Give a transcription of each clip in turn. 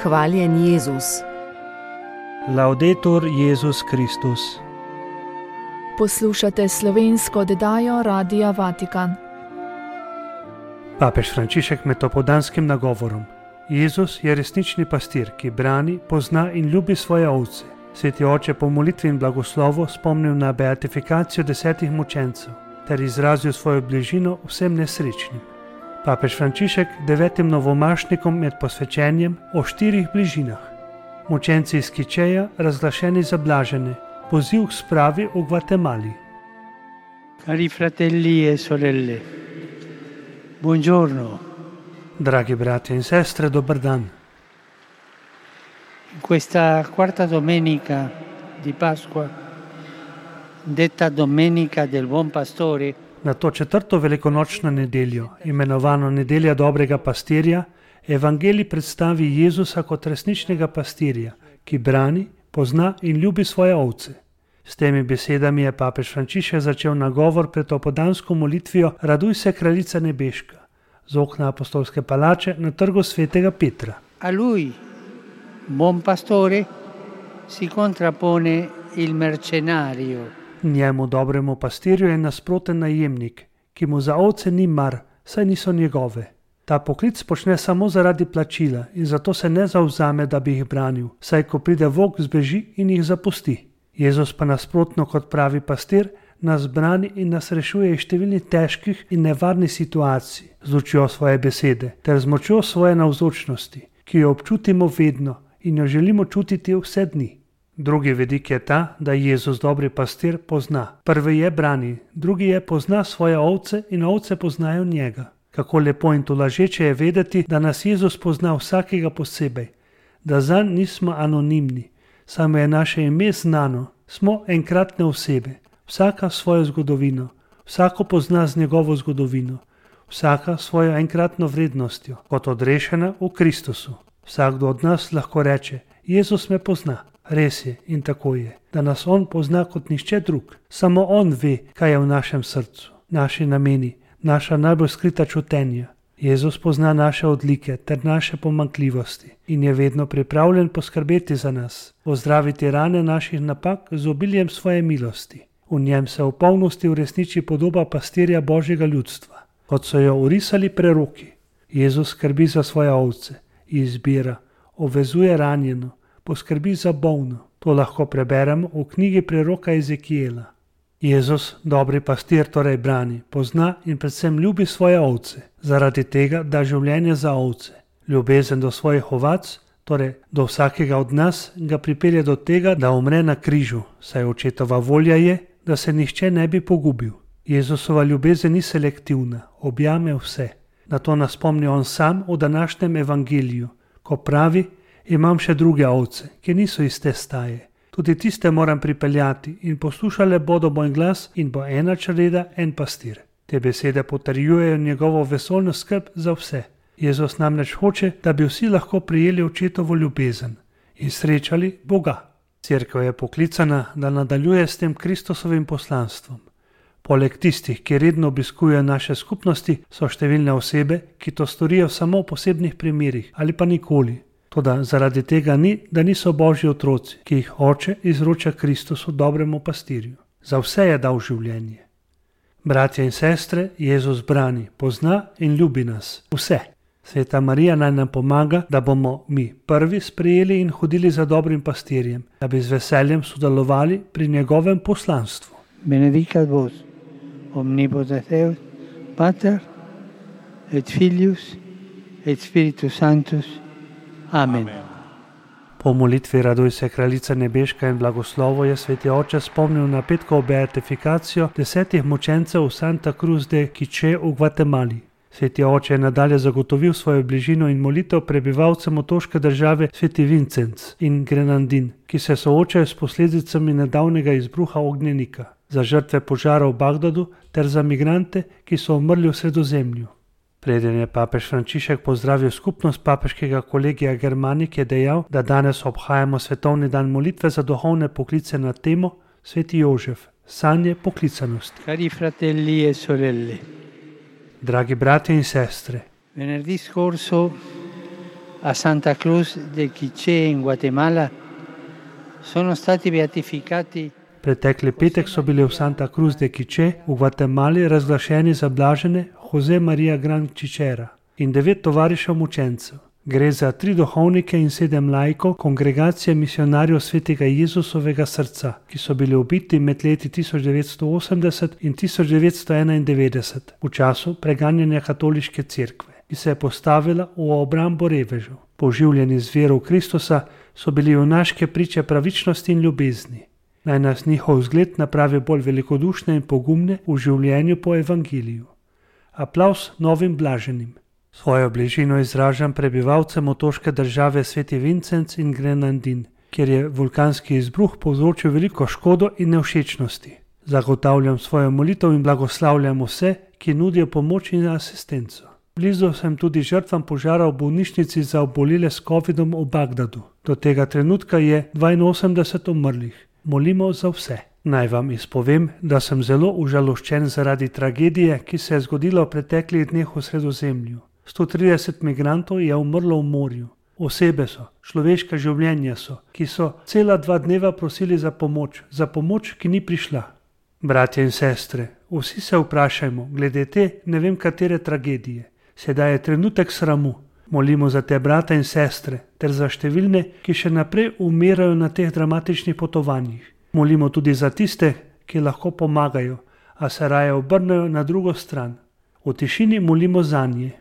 Hvaljen Jezus. Laudetur Jezus Kristus. Poslušate slovensko oddajo Radia Vatikan. Papež Frančišek med popoldanskim nagovorom. Jezus je resnični pastir, ki brani, pozna in ljubi svoje ovce. Sveti oče po molitvi in blagoslovu spomnil na beatifikacijo 10 mučencev ter izrazil svojo bližino vsem nesrečnim. Papež Frančišek 9 novomašnikom med posvečenjem o 4 bližinah. Mučenci iz Kičeja, razglašeni za blažene, poziv k spravi v Gvatemali. Cari fratelli e sorelle, buongiorno. Dragi bratje in sestre, dober dan. In questa quarta domenica di Pasqua, detta Domenica del Buon Pastore, Na to 4. velikonočno nedeljo, imenovano Nedelja dobrega pastirja, Evangelij predstavi Jezusa kot resničnega pastirja, ki brani, pozna in ljubi svoje ovce. S temi besedami je papež Frančišek začel nagovor pred popoldansko molitvijo Raduj se, kraljica nebeška, z okna apostolske palače na trgu svetega Petra. a lui, buon pastore, si contrappone il mercenario, Njemu dobremu pastirju je nasproten najemnik, ki mu za ovce ni mar, saj niso njegove. Ta poklic počne samo zaradi plačila in zato se ne zavzame, da bi jih branil, saj ko pride volk, zbeži in jih zapusti. Jezus pa nasprotno kot pravi pastir nas brani in nas rešuje iz številnih težkih in nevarnih situacij z lučjo svoje besede ter z močjo svoje navzočnosti, ki jo občutimo vedno in jo želimo čutiti vse dni. Drugi vidik je ta, da Jezus dobri pastir pozna. Prvi je brani, drugi je pozna svoje ovce in ovce poznajo njega. Kako lepo in tolažeče je vedeti, da nas Jezus pozna vsakega posebej, da zanj nismo anonimni, samo je naše ime znano, smo enkratne osebe, vsaka svojo zgodovino, vsako pozna z njegovo zgodovino, vsaka svojo enkratno vrednostjo, kot odrešena v Kristusu. Vsakdo od nas lahko reče, Jezus me pozna. Res je in tako je, da nas on pozna kot nihče drug. Samo on ve, kaj je v našem srcu, naši nameni, naša najbolj skrita čutenja. Jezus pozna naše odlike ter naše pomanjkljivosti in je vedno pripravljen poskrbeti za nas, ozdraviti rane naših napak z obiljem svoje milosti. V njem se v polnosti uresniči podoba pastirja Božjega ljudstva, kot so jo orisali preroki. Jezus skrbi za svoje ovce, izbira, obvezuje ranjeno, poskrbi za bolno. To lahko preberemo v knjigi preroka Ezekijela. Jezus, dobri pastir, torej brani, pozna in predvsem ljubi svoje ovce, zaradi tega da življenje za ovce. Ljubezen do svojih ovac, torej do vsakega od nas, ga pripelje do tega, da umre na križu, saj očetova volja je, da se nihče ne bi pogubil. Jezusova ljubezen ni selektivna, objame vse. Na to nas spomni on sam v današnjem evangeliju, ko pravi, imam še druge ovce, ki niso iz te staje. Tudi tiste moram pripeljati in poslušale bodo moj glas in bo ena čreda, en pastir. Te besede potrjujejo njegovo vesoljno skrb za vse. Jezus namreč hoče, da bi vsi lahko prijeli očetovo ljubezen in srečali Boga. Cerkev je poklicana, da nadaljuje s tem Kristusovim poslanstvom. Poleg tistih, ki redno obiskujejo naše skupnosti, so številne osebe, ki to storijo samo v posebnih primerih ali pa nikoli. Toda zaradi tega ni, da niso Božji otroci, ki jih oče izroča Kristusu dobremu pastirju. Za vse je dal življenje. Bratje in sestre, Jezus brani, pozna in ljubi nas. Vse. Sveta Marija naj nam pomaga, da bomo mi prvi sprejeli in hodili za dobrim pastirjem, da bi z veseljem sodelovali pri njegovem poslanstvu. benedicat vos, omnipotens Deus, Pater, et Filius, et Spiritus Sanctus. Amen. Po molitvi Raduj se, kraljica nebeška in blagoslovo je sveti oče spomnil na petkovo beatifikacijo 10 mučencev v Santa Cruz de Quiché v Gvatemali. Sveti oče je nadalje zagotovil svojo bližino in molitev prebivalcem otoške države Sveti Vincenc in Grenadin, ki se soočajo s posledicami nedavnega izbruha ognjenika, za žrtve požara v Bagdadu ter za migrante, ki so umrli v Sredozemlju. Preden je papež Frančišek pozdravil skupnost papeškega kolegija Germanik, je dejal, da danes obhajamo svetovni dan molitve za duhovne poklice na temo Sveti Jožef, sanje poklicanosti. Cari fratelli e sorelle, Dragi bratje in sestre, venerdì scorso a Santa Cruz de Quiché in Guatemala sono stati beatificati. Pretekli petek so bili v Santa Cruz de Quiché v Gvatemali razglašeni za blažene Jose Maria Gran Čičera in 9 tovarišev mučencev. Gre za 3 duhovnike in 7 laikov kongregacije misionarjev Svetega Jezusovega srca, ki so bili ubiti med leti 1980 in 1991 v času preganjanja katoliške cerkve, ki se je postavila v obrambo revežev. Poživljeni z vero v Kristusa so bili junaške priče pravičnosti in ljubezni. Naj nas njihov vzgled napravi bolj velikodušne in pogumne v življenju po evangeliju. Aplavz novim blaženim. Svojo bližino izražam prebivalcem otoške države Sveti Vincent in Grenadin, kjer je vulkanski izbruh povzročil veliko škodo in nevšečnosti. Zagotavljam svojo molitev in blagoslavljam vse, ki nudijo pomoč in asistenco. Blizu sem tudi žrtvam požara v bolnišnici za obolele s COVID-om v Bagdadu. Do tega trenutka je 82 umrlih. Molimo za vse. Naj vam izpovem, da sem zelo užaloščen zaradi tragedije, ki se je zgodila v preteklih dneh v Sredozemlju. 130 migrantov je umrlo v morju. Osebe so, človeška življenja so, ki so cela 2 dneva prosili za pomoč, ki ni prišla. Bratje in sestre, vsi se vprašajmo, glede te ne vem katere tragedije. Sedaj je trenutek sramu. Molimo za te brate in sestre, ter za številne, ki še naprej umirajo na teh dramatičnih potovanjih. Molimo tudi za tiste, ki lahko pomagajo, a se raje obrnejo na drugo stran. V tišini molimo zanje.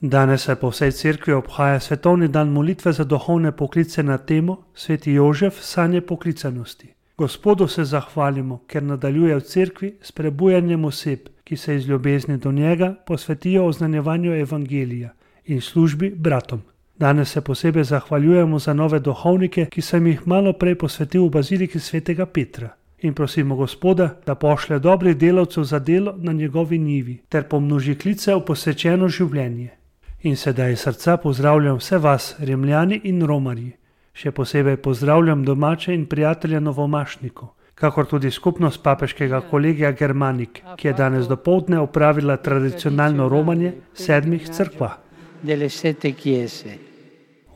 Danes se po vsej cerkvi obhaja svetovni dan molitve za duhovne poklice na temo Sveti Jožef sanje poklicanosti. Gospodu se zahvalimo, ker nadaljuje v cerkvi s prebujanjem oseb, ki se iz ljubezni do njega posvetijo oznanjevanju evangelija in službi bratom. Danes se posebej zahvaljujemo za nove duhovnike, ki sem jih malo prej posvetil v baziliki Svetega Petra. In prosimo Gospoda, da pošlje dobrih delavcev za delo na njegovi njivi, ter pomnoži klice v posvečeno življenje. In sedaj iz srca pozdravljam vse vas, Rimljani in Romarji. Še posebej pozdravljam domače in prijatelje novomašnikov, kakor tudi skupnost papeškega kolegija Germanik, ki je danes dopoldne opravila tradicionalno romanje 7 cerkva.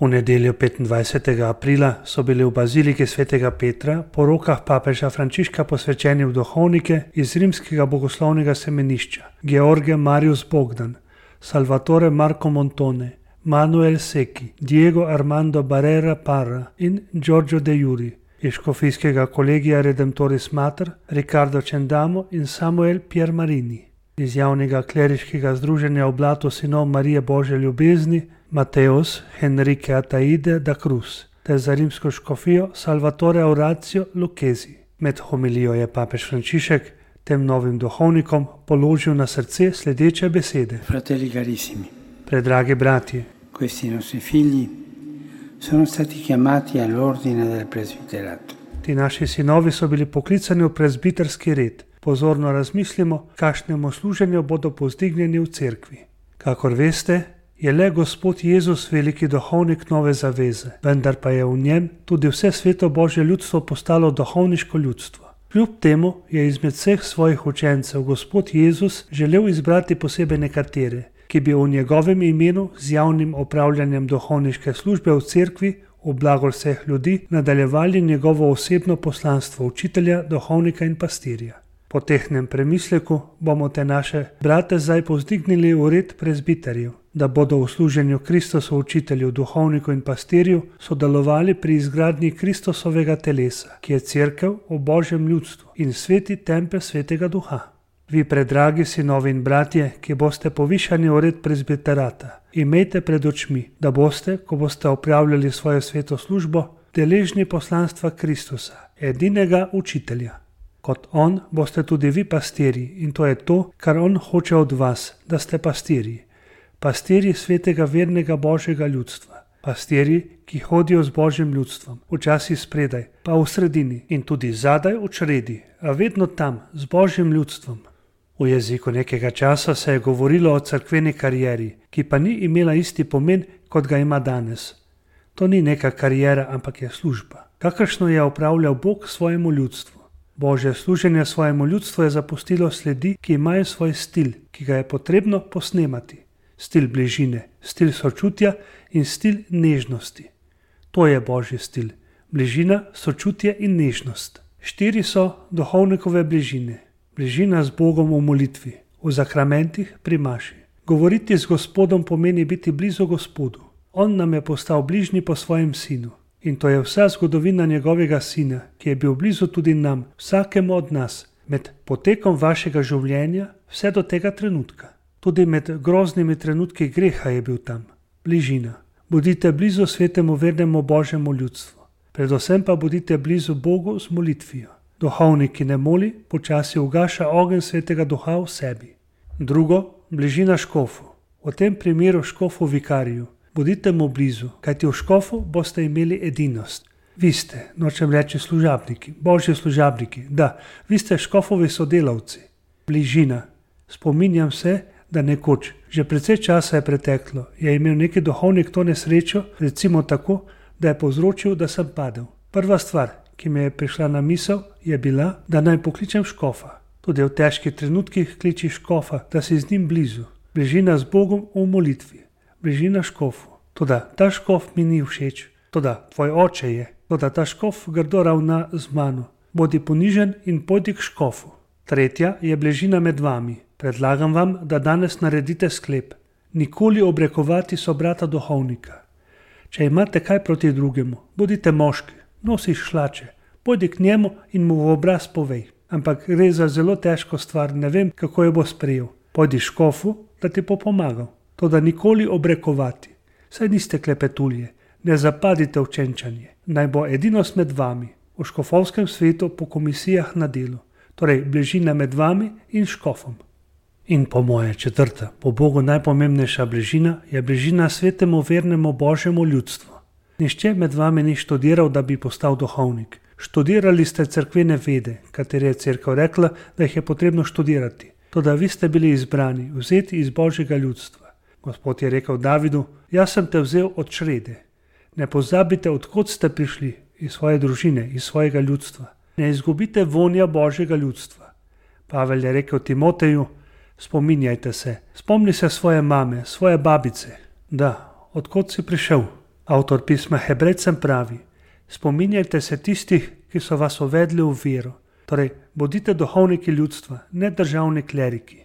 V nedeljo 25. aprila so bili v baziliki Svetega Petra po rokah papeža Frančiška posvečeni v duhovnike iz rimskega bogoslovnega semenišča George Marius Bogdan, Salvatore Marco Montone, Manuel Secchi, Diego Armando Barrera Parra in Giorgio De Juri, iz škofijskega kolegija Redemptoris Mater, Riccardo Cendamo in Samuel Piermarini, iz javnega kleriškega združenja Oblato sinov Marije Božje ljubezni, Mateus Henrique Ataide da Cruz, ter za rimsko škofijo Salvatore Orazio Lucchesi. Med homilijo je papež Frančišek tem novim duhovnikom položil na srce sledeče besede. Fratelli carissimi, Predragi bratje, questi nostri figli sono stati chiamati all'ordine del presbiterato. ti naši sinovi so bili poklicani v prezbiterski red. Pozorno razmislimo, kakšnemu služenju bodo povzdignjeni v cerkvi. Kakor veste, je le Gospod Jezus veliki duhovnik nove zaveze, vendar pa je v njem tudi vse sveto Božje ljudstvo postalo duhovniško ljudstvo. Kljub temu je izmed vseh svojih učencev Gospod Jezus želel izbrati posebej nekatere, ki bi v njegovem imenu z javnim opravljanjem duhovniške službe v cerkvi v blagor vseh ljudi nadaljevali njegovo osebno poslanstvo učitelja, duhovnika in pastirja. Po tehnem premisleku bomo te naše brate zdaj povzdignili v red prezbiterjev, da bodo v služenju Kristosu učitelju, duhovniku in pastirju sodelovali pri izgradnji Kristusovega telesa, ki je cerkev v Božjem ljudstvu in sveti tempelj Svetega Duha. Vi, predragi sinovi in bratje, ki boste povišani v red prezbiterata, imejte pred očmi, da boste, ko boste opravljali svojo sveto službo, deležni poslanstva Kristusa, edinega učitelja. Kot on boste tudi vi pastirji in to je to, kar on hoče od vas, da ste pastirji. Pastirji svetega vernega Božjega ljudstva. Pastirji, ki hodijo z Božjim ljudstvom, včasih spredaj, pa v sredini in tudi zadaj v čredi, a vedno tam z Božjim ljudstvom. V jeziku nekega časa se je govorilo o cerkveni karieri, ki pa ni imela isti pomen, kot ga ima danes. To ni neka kariera, ampak je služba, kakršno je opravljal Bog svojemu ljudstvu. Božje služenje svojemu ljudstvu je zapustilo sledi, ki imajo svoj stil, ki ga je potrebno posnemati. stil bližine, stil sočutja in stil nežnosti. To je Božji stil. Bližina, sočutje in nežnost. 4 so duhovnikove bližine. Bližina z Bogom v molitvi, v zakramentih, pri maši. Govoriti z Gospodom pomeni biti blizu Gospodu. On nam je postal bližnji po svojem sinu. In to je vsa zgodovina njegovega sina, ki je bil blizu tudi nam, vsakemu od nas, med potekom vašega življenja vse do tega trenutka. Tudi med groznimi trenutki greha je bil tam. Bližina. Bodite blizu svetemu vernemu Božjemu ljudstvu. Predvsem pa bodite blizu Bogu z molitvijo. Duhovnik, ki ne moli, počasi ugaša ogenj svetega duha v sebi. Drugo, bližina škofu. V tem primeru škofu vikariju. Bodite mu blizu, kajti v škofu boste imeli edinost. Vi ste, nočem reči služabniki, Božji služabniki, da, vi ste škofovi sodelavci. Bližina. Spominjam se, da nekoč, že precej časa je preteklo, je imel neki duhovnik to nesrečo, recimo tako, da je povzročil, da sem padel. Prva stvar, ki mi je prišla na misel, je bila, da naj pokličem škofa. Tudi v težkih trenutkih kliči škofa, da si z njim blizu. Bližina z Bogom v molitvi. Bližina škofu. Toda ta škof mi ni všeč. Toda tvoj oče je. Toda ta škof grdo ravna z mano. Bodi ponižen in pojdi k škofu. Tretja je bližina med vami. Predlagam vam, da danes naredite sklep. Nikoli obrekovati sobrata duhovnika. Če imate kaj proti drugemu, bodite moški, nosiš hlače, pojdi k njemu in mu v obraz povej. Ampak gre za zelo težko stvar, ne vem, kako jo bo sprejel. Pojdi škofu, da ti bo pomagal. Toda nikoli obrekovati. Saj niste klepetulje, ne zapadite v čenčanje. Naj bo edinost med vami, v škofovskem svetu po komisijah na delu. Torej, bližina med vami in škofom. In po moje četrta, po Bogu najpomembnejša bližina je bližina svetemu vernemu Božjemu ljudstvu. Nihče med vami ni študiral, da bi postal duhovnik. Študirali ste cerkvene vede, katere je cerkev rekla, da jih je potrebno študirati. Toda vi ste bili izbrani, vzeti iz Božjega ljudstva. Gospod je rekel Davidu, jaz sem te vzel od črede. Ne pozabite, odkot ste prišli, iz svoje družine, iz svojega ljudstva. Ne izgubite vonja Božjega ljudstva. Pavel je rekel Timoteju, spominjajte se, spomni se svoje mame, svoje babice. Da, odkot si prišel? Avtor pisma Hebrejcem pravi, spominjajte se tistih, ki so vas uvedli v vero. Torej, bodite duhovniki ljudstva, ne državni kleriki.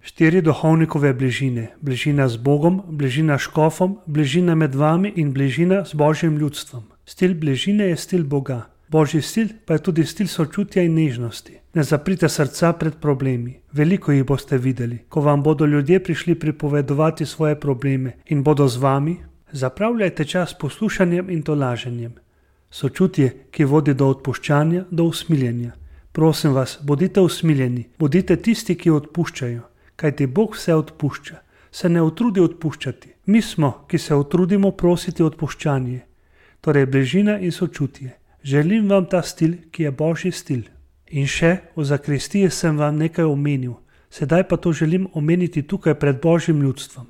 4 duhovnikove bližine, bližina z Bogom, bližina škofom, bližina med vami in bližina z Božjim ljudstvom. Stil bližine je stil Boga. Božji stil pa je tudi stil sočutja in nežnosti. Ne zaprite srca pred problemi. Veliko jih boste videli, ko vam bodo ljudje prišli pripovedovati svoje probleme in bodo z vami. Zapravljajte čas poslušanjem in tolaženjem. Sočutje, ki vodi do odpuščanja, do usmiljenja. Prosim vas, bodite usmiljeni, bodite tisti, ki odpuščajo. Kajti Bog vse odpušča, se ne utrudi odpuščati. Mi smo, ki se utrudimo prositi odpuščanje. Torej bližina in sočutje. Želim vam ta stil, ki je Božji stil. In še, v zakristiji sem vam nekaj omenil, sedaj pa to želim omeniti tukaj pred Božjim ljudstvom.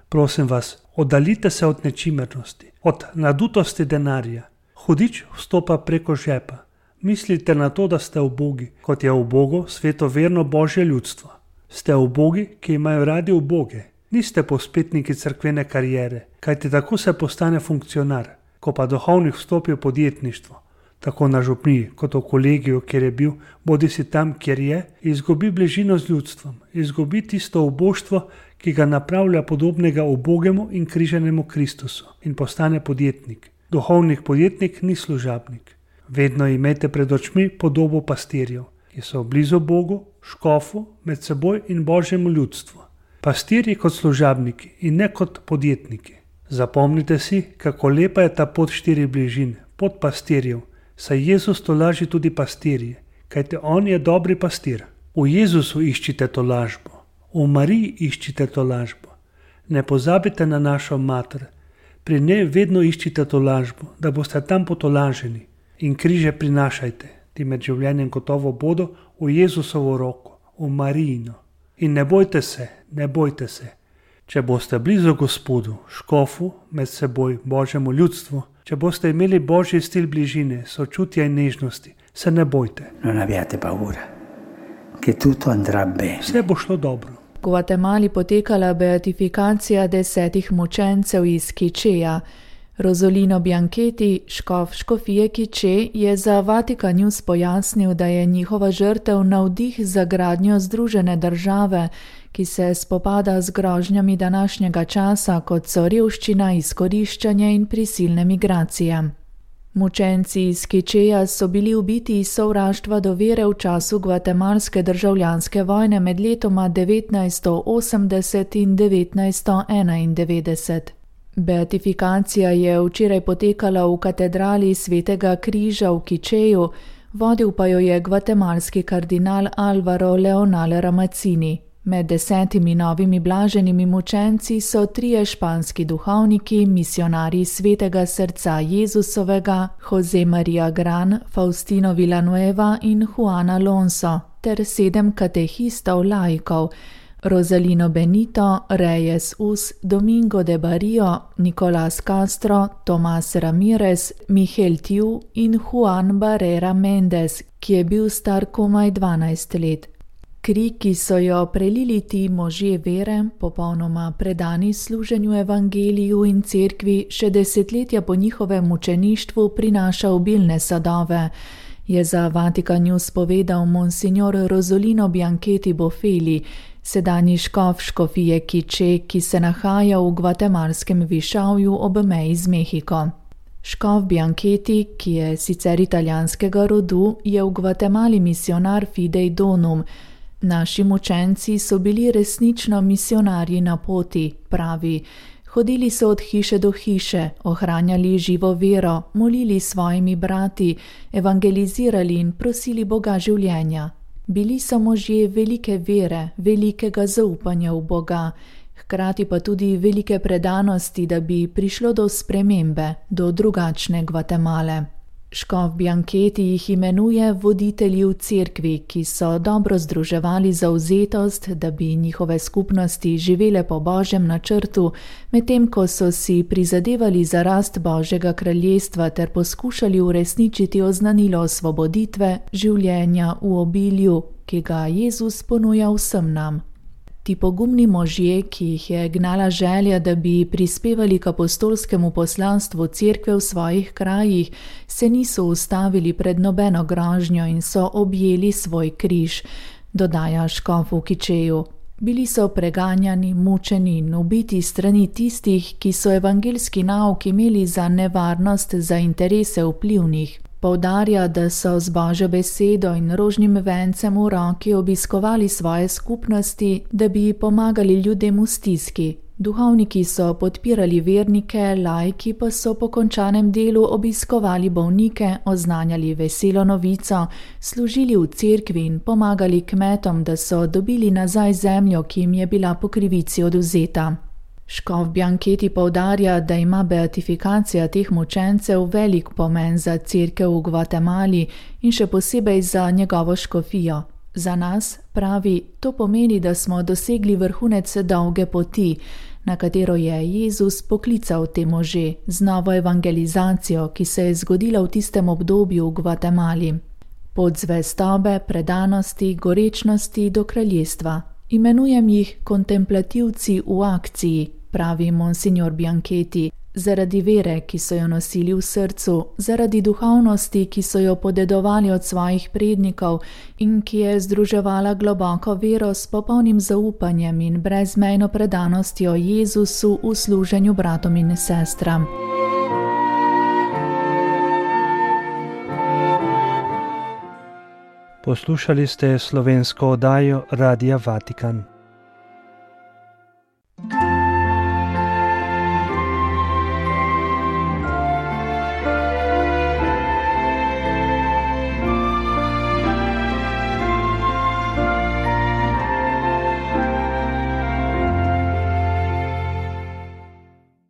Prosim vas, oddaljite se od nečimernosti, od nadutosti denarja. Hudič vstopa preko žepa. Mislite na to, da ste ubogi, kot je ubogo svetoverno Božje ljudstvo. Ste ubogi, ki imajo radi uboge. Niste pospetniki cerkvene kariere, kajti tako se postane funkcionar. Ko pa duhovnik vstopi v podjetništvo, tako na župniji kot v kolegiju, kjer je bil, bodi si tam, kjer je, izgubi bližino z ljudstvom, izgubi tisto uboštvo, ki ga napravlja podobnega ubogemu in križenemu Kristusu in postane podjetnik. Duhovnik podjetnik ni služabnik. Vedno imejte pred očmi podobo pastirjev, ki so blizu Bogu, škofu, med seboj in Božjemu ljudstvu. Pastirji kot služabniki in ne kot podjetniki. Zapomnite si, kako lepa je ta pot 4 bližin, pot pastirjev, saj Jezus tolaži tudi pastirje, kajte on je dobri pastir. V Jezusu iščite tolažbo, v Mariji iščite tolažbo. Ne pozabite na našo mater, pri njej vedno iščite tolažbo, da boste tam potolaženi in križe prinašajte, ti med življenjem gotovo bodo v Jezusovo roko, v Marijino. In ne bojte se, ne bojte se. Če boste blizu Gospodu, škofu, med seboj, Božjemu ljudstvu, če boste imeli Božji stil bližine, sočutja in nežnosti, se ne bojte. Non abbiate paura, che tutto andrà bene. Vse bo šlo dobro. Gvatemali potekala beatifikacija 10 mučencev iz Quicheja. Rosolino Bianchetti, škof škofije Quiche, je za Vatikan News pojasnil, da je njihova žrtev navdih za gradnjo združene države, ki se spopada z grožnjami današnjega časa, kot so revščina, izkoriščanje in prisilne migracije. Mučenci iz Quicheja so bili ubiti iz sovraštva do vere v času gvatemalske državljanske vojne med letoma 1980 in 1991. Beatifikacija je včeraj potekala v katedrali Svetega križa v Quicheju, vodil pa jo je gvatemalski kardinal Álvaro Leonel Ramazzini. Med 10 novimi blaženimi mučenci so 3 španski duhovniki, misionarji Svetega srca Jezusovega, José María Gran, Faustino Villanueva in Juan Alonso, ter 7 katehistov laikov, Rosalino Benito, Reyes Us, Domingo de Barrio, Nicolás Castro, Tomás Ramírez, Miguel Tiu in Juan Barrera Méndez, ki je bil star komaj 12 let. Kri, ki so jo prelili ti možje vere, popolnoma predani služenju evangeliju in cerkvi, še desetletja po njihovem mučeništvu prinaša obilne sadove, je za Vatikan News povedal monsignor Rosolino Bianchetti Bofeli, sedanji škof škofije Quiche, ki se nahaja v gvatemalskem višavju ob meji z Mehiko. Škof Bianchetti, ki je sicer italijanskega rodu, je v Gvatemali misionar Fidei Donum. Naši mučenci so bili resnično misionarji na poti, pravi. Hodili so od hiše do hiše, ohranjali živo vero, molili svojimi brati, evangelizirali in prosili Boga življenja. Bili so možje velike vere, velikega zaupanja v Boga, hkrati pa tudi velike predanosti, da bi prišlo do spremembe, do drugačne Gvatemale. Škof Bianchetti jih imenuje voditelji v cerkvi, ki so dobro združevali zavzetost, da bi njihove skupnosti živele po Božjem načrtu, medtem ko so si prizadevali za rast Božjega kraljestva ter poskušali uresničiti oznanilo osvoboditve, življenja v obilju, ki ga Jezus ponuja vsem nam. Ti pogumni možje, ki jih je gnala želja, da bi prispevali k apostolskemu poslanstvu cerkve v svojih krajih, se niso ustavili pred nobeno grožnjo in so objeli svoj križ, dodaja škof v Quicheju. Bili so preganjani, mučeni in ubiti strani tistih, ki so evangeljski nauk imeli za nevarnost za interese vplivnih. Poudarja, da so z Božjo besedo in rožnim vencem v roki obiskovali svoje skupnosti, da bi pomagali ljudem v stiski. Duhovniki so podpirali vernike, laiki pa so po končanem delu obiskovali bolnike, oznanjali veselo novico, služili v cerkvi in pomagali kmetom, da so dobili nazaj zemljo, ki jim je bila po krivici odvzeta. Škof Bianchetti poudarja, da ima beatifikacija teh mučencev velik pomen za cerkev v Gvatemali in še posebej za njegovo škofijo. Za nas, pravi, to pomeni, da smo dosegli vrhunec dolge poti, na katero je Jezus poklical te može z novo evangelizacijo, ki se je zgodila v tistem obdobju v Gvatemali. Pot zvestobe, predanosti, gorečnosti do kraljestva. Imenujem jih kontemplativci v akciji, pravi monsignor Bianchetti, zaradi vere, ki so jo nosili v srcu, zaradi duhovnosti, ki so jo podedovali od svojih prednikov in ki je združevala globoko vero s popolnim zaupanjem in brezmejno predanostjo Jezusu v služenju bratom in sestram. Poslušali ste slovensko oddajo Radia Vatikan.